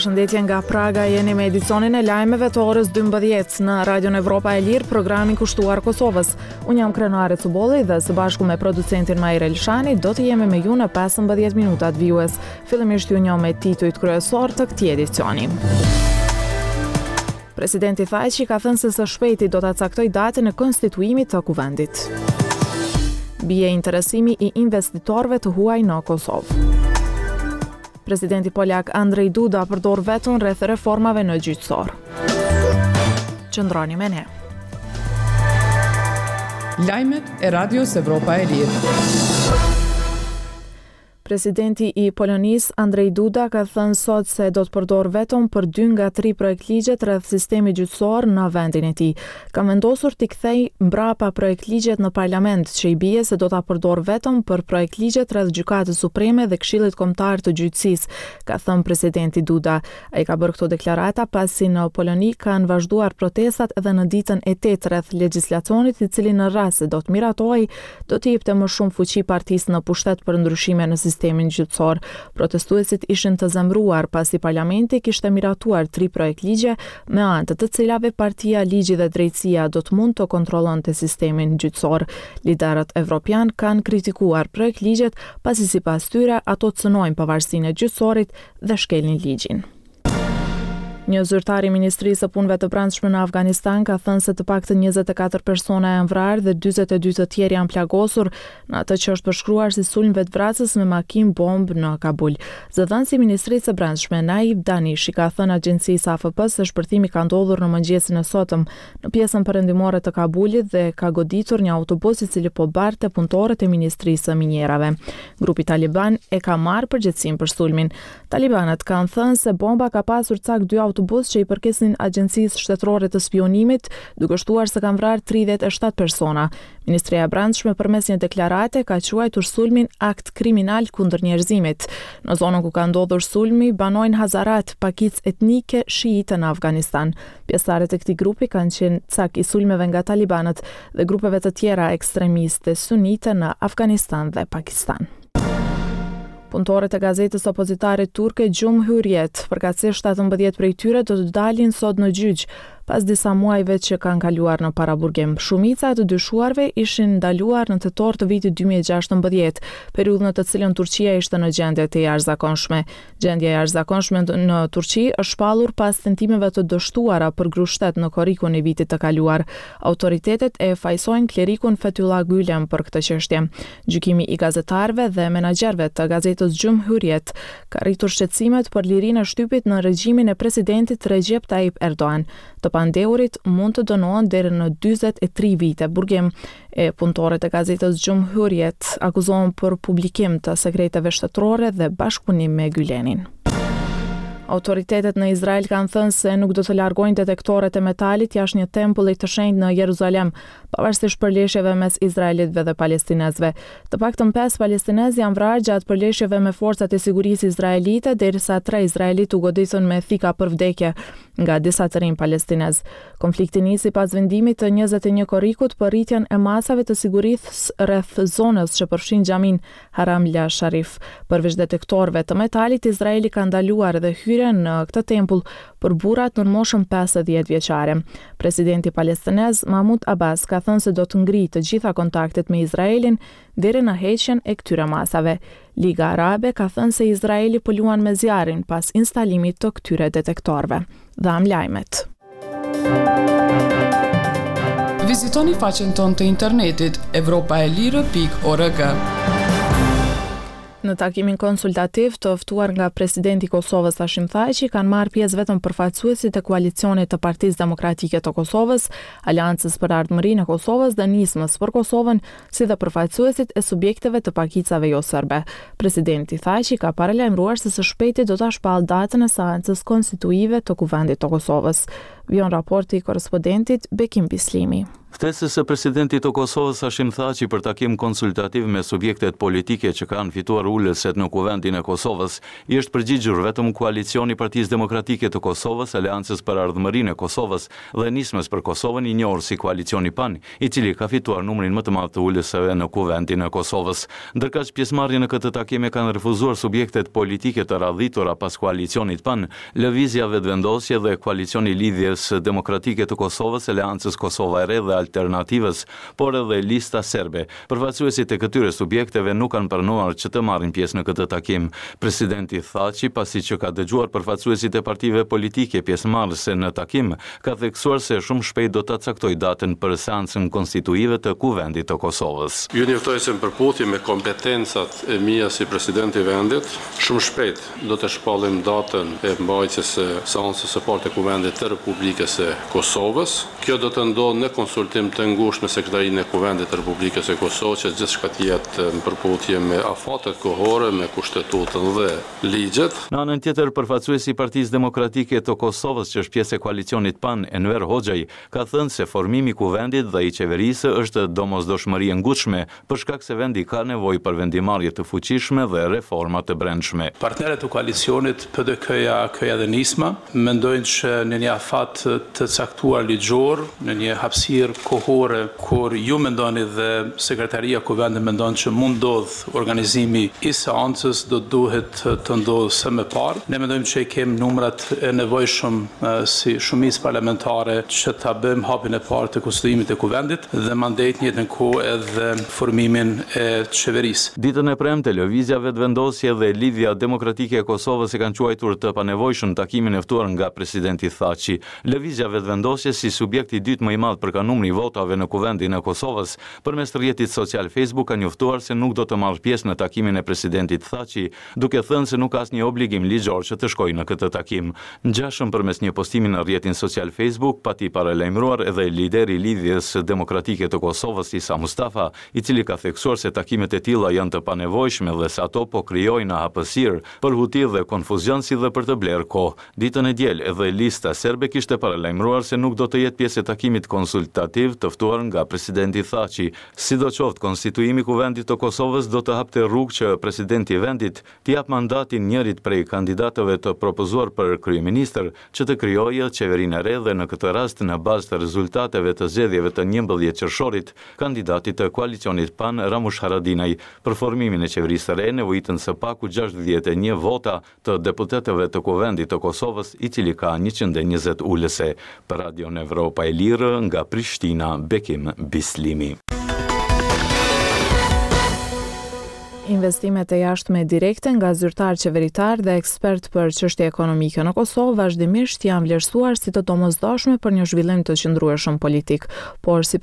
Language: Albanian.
Përshëndetje nga Praga, jeni me edicionin e lajmeve të orës 12 në Radion Evropa e Lirë, programin kushtuar Kosovës. Unë jam Krenare Cubolli dhe së bashku me producentin Mair Elshani do të jemi me ju në 15 minutat vijues. Fillimisht ju njoh me titujt kryesorë të këtij edicioni. Presidenti Thaçi ka thënë se së shpejti do ta caktojë datën e konstituimit të Kuvendit. Bie interesimi i investitorëve të huaj në Kosovë. Presidenti polak Andrej Duda përdor veton rreth reformave në gjyqësor. Qëndroni me ne. Lajmet e Radios Evropa e Lirë. Presidenti i Polonisë, Andrej Duda ka thënë sot se do të përdorë veton për dy nga tri projektligjet rreth sistemit gjyqësor në vendin e tij. Kam vendosur t'i kthej mbrapa projektligjet në parlament, që i bie se do ta përdor veton për projektligjet rreth Gjykatës Supreme dhe Këshillit Kombëtar të Gjyqësisë, ka thënë presidenti Duda. Ai ka bërë këto deklarata pasi në Poloni kanë vazhduar protestat edhe në ditën e tetë rreth legjislacionit i cili në rast se do të miratohej do t'i jepte më shumë fuqi partisë në pushtet për ndryshime në sistemin gjyqësor. Protestuesit ishin të zemëruar pasi parlamenti kishte miratuar tri projektligje me anë të të cilave partia Ligji dhe Drejtësia do të mund të kontrollonte sistemin gjyqësor. Liderët evropianë kanë kritikuar projektligjet pasi sipas tyre ato cënojnë pavarësinë e gjyqësorit dhe shkelin ligjin. Një zyrtar i Ministrisë së Punëve të Brendshme në Afganistan ka thënë se të paktën 24 persona janë vrarë dhe 42 të tjerë janë plagosur në atë që është përshkruar si sulm vetëvrasës me makinë bombë në Kabul. Zëdhënësi i Ministrisë së Brendshme, Naib Danish, i ka thënë agjencisë AFP se shpërthimi ka ndodhur në mëngjesin e sotëm në pjesën perëndimore të Kabulit dhe ka goditur një autobus i cili po barte punëtorët e Ministrisë së Minierave. Grupi taliban e ka marrë përgjegjësinë për sulmin. Talibanët kanë thënë se bomba ka pasur cak dy autobusë që i përkisnin Agjencisë Shtetërore të Spiunimit, duke shtuar se kanë vrarë 37 persona. Ministria e Brendshme përmes një deklarate ka quajtur sulmin akt kriminal kundër njerëzimit. Në zonën ku ka ndodhur sulmi banojnë Hazarat, pakicë etnike shiite në Afganistan. Pjesëtarët e këtij grupi kanë qenë cak i sulmeve nga talibanët dhe grupeve të tjera ekstremiste sunite në Afganistan dhe Pakistan. Punëtorët e gazetës opozitare turke Cumhuriyet, përkatësisht 17 prej tyre do të dalin sot në gjyq, pas disa muajve që kanë kaluar në paraburgim. Shumica e të dyshuarve ishin ndaluar në tetor të vitit 2016, periudhë në të cilën Turqia ishte në gjendje të jashtëzakonshme. Gjendja e jashtëzakonshme në Turqi është shpallur pas tentimeve të dështuara për grusht-shtet në korrikun e vitit të kaluar. Autoritetet e fajësojnë klerikun Fethullah Gülen për këtë çështje. Gjykimi i gazetarëve dhe menaxherëve të gazetës Cumhuriyet ka rritur shqetësimet për lirinë e shtypit në regjimin e presidentit Recep Tayyip Erdogan. Të pandehurit mund të dënohen deri në 43 vite burgim. E punëtorët e gazetës Cumhuriyet akuzohen për publikim të sekreteve shtetërore dhe bashkëpunim me Gylenin. Autoritetet në Izrael kanë thënë se nuk do të largojnë detektorët e metalit jashtë një tempulli të shenjtë në Jeruzalem, pavarësisht përleshjeve mes izraelitëve dhe palestinezëve. Të paktën 5 palestinezë janë vrarë gjatë përleshjeve me forcat e sigurisë izraelite, derisa 3 izraelitë u goditën me thika për vdekje nga disa të rinj palestinezë. Konflikti nisi pas vendimit të 21 korrikut për rritjen e masave të sigurisë rreth zonës që përfshin xhaminë Haram al Sharif. Përveç detektorëve të metalit, Izraeli ka ndaluar edhe hyrjen në këtë tempull për burrat nën moshën 50 vjeçare. Presidenti palestinez Mahmud Abbas ka thënë se do të ngrijë të gjitha kontaktet me Izraelin deri në heqjen e këtyre masave. Liga Arabe ka thënë se Izraeli po luan me zjarrin pas instalimit të këtyre detektorëve. Dhamë lajmet. Vizitoni faqen tonë të internetit evropaelire.org. Në takimin konsultativ të ftuar nga presidenti i Kosovës Hashim Thaçi kanë marrë pjesë vetëm përfaqësuesit e koalicionit të Partisë Demokratike të Kosovës, Aleancës për Ardhmërinë e Kosovës dhe Nismës për Kosovën, si dhe përfaqësuesit e subjekteve të pakicave joserbe. Presidenti Thaçi ka paralajmëruar se së shpejti do ta shpallë datën e seancës konstituive të Kuvendit të Kosovës. Vijon raporti i korrespondentit Bekim Bislimi. Ftesës së presidentit të Kosovës, Hashim Thaçi për takim konsultativ me subjektet politike që kanë fituar ulëset në Kuvendin e Kosovës, i është përgjigjur vetëm koalicioni i Partisë Demokratike të Kosovës, Aleancës për Ardhmërinë e Kosovës dhe Nismës për Kosovën i njohur si Koalicioni PAN, i cili ka fituar numrin më të madh të ulëseve në Kuvendin e Kosovës. Ndërkaq, pjesëmarrjen në këtë takim e kanë refuzuar subjektet politike të radhitura pas koalicionit PAN, Lëvizja Vetëvendosje dhe koalicioni i Lidhjes Demokratike të Kosovës, Aleancës Kosova e Re dhe Alternativës, por edhe Lista Serbe. Përfaqësuesit e këtyre subjekteve nuk kanë pranuar që të marrin pjesë në këtë takim. Presidenti Thaçi, pasi që ka dëgjuar përfaqësuesit e partive politike pjesëmarrëse në takim, ka theksuar se shumë shpejt do ta caktojë datën për seancën konstituive të Kuvendit të Kosovës. Ju njoftoj se në përputhje me kompetencat e mia si president i vendit, shumë shpejt Do të shpallim datën e mbajtjes së seancës së parë të Kuvendit të Republikës së Kosovës. Kjo do të ndodhë në konsultim të ngushtë me Sekretarinë e Kuvendit të Republikës së Kosovës që gjithçka të jetë në përputhje me afatet kohore, me Kushtetutën dhe ligjet. Në anën tjetër, përfaqësuesi i Partisë Demokratike të Kosovës që është pjesë e koalicionit PAN, Enver Hoxhaj, ka thënë se formimi i Kuvendit dhe i Qeverisë është domosdoshmëri e ngutshme për shkak se vendi ka nevojë për vendimmarrje të fuqishme dhe reforma të brendshme. Partnerët e koalicionit, PDK-ja, AAK-ja dhe Nisma, mendojnë që në një afat të caktuar ligjor, në një hapësirë kohore kur ju mendoni dhe Sekretaria e Kuvendit mendon që mund ndodhë organizimi i seancës, do të duhet të ndodhë sa më parë. Ne mendojmë që i kemi numrat e nevojshëm si shumicë parlamentare që ta bëjmë hapin e parë të konstituimit të Kuvendit. dhe mandej të njëjtën kohë edhe formimin e qeverisë. Ditën e premte, Lëvizja Vetëvendosje dhe Lidhja Demokratike e Kosovës e kanë quajtur të panevojshëm takimin e ftuar nga presidenti Thaçi. Lëvizja Vetëvendosje si subjekti i dytë më i madh për nga numri i votave në Kuvendin e Kosovës, përmes rrjetit social Facebook ka njoftuar se nuk do të marrë pjesë në takimin e presidentit Thaçi, duke thënë se nuk ka asnjë obligim ligjor që të shkojë në këtë takim. Ngjashëm përmes një postimi në rrjetin social Facebook pati paralajmëruar edhe lideri i Lidhjes Demokratike të Kosovës, Isa Mustafa, i cili ka theksuar se takimet e tilla janë të panevojshme dhe se ato po krijojnë hapësirë për huti dhe konfuzion si dhe për të blerë kohë. Ditën e diel, edhe Lista Serbe kishte paralajmëruar se nuk do të jetë pjesë e takimit konsultativ të ftuar nga presidenti Thaçi. Sidoqoftë, konstituimi i Kuvendit të Kosovës do të hapte rrugë që presidenti i vendit t'i japë mandatin njërit prej kandidatëve të propozuar për kryeministër që të krijojë qeverinë e re dhe në këtë rast në bazë të rezultateve të zgjedhjeve të 11 qershorit, kandidatit të koalicionit PAN Ramush Haradinaj. Për formimin e qeverisë së re nevojiten së paku 61 vota të deputetëve të Kuvendit të Kosovës, i cili ka 120 ulëse. Për Radion Evropa e Lirë, nga Prishtina, Bekim Bislimi. Investimet e jashtme direkte nga zyrtarë qeveritarë dhe ekspertë për çështje ekonomike në Kosovë vazhdimisht janë vlerësuar si të domosdoshme për një zhvillim të qëndrueshëm politik. Por si.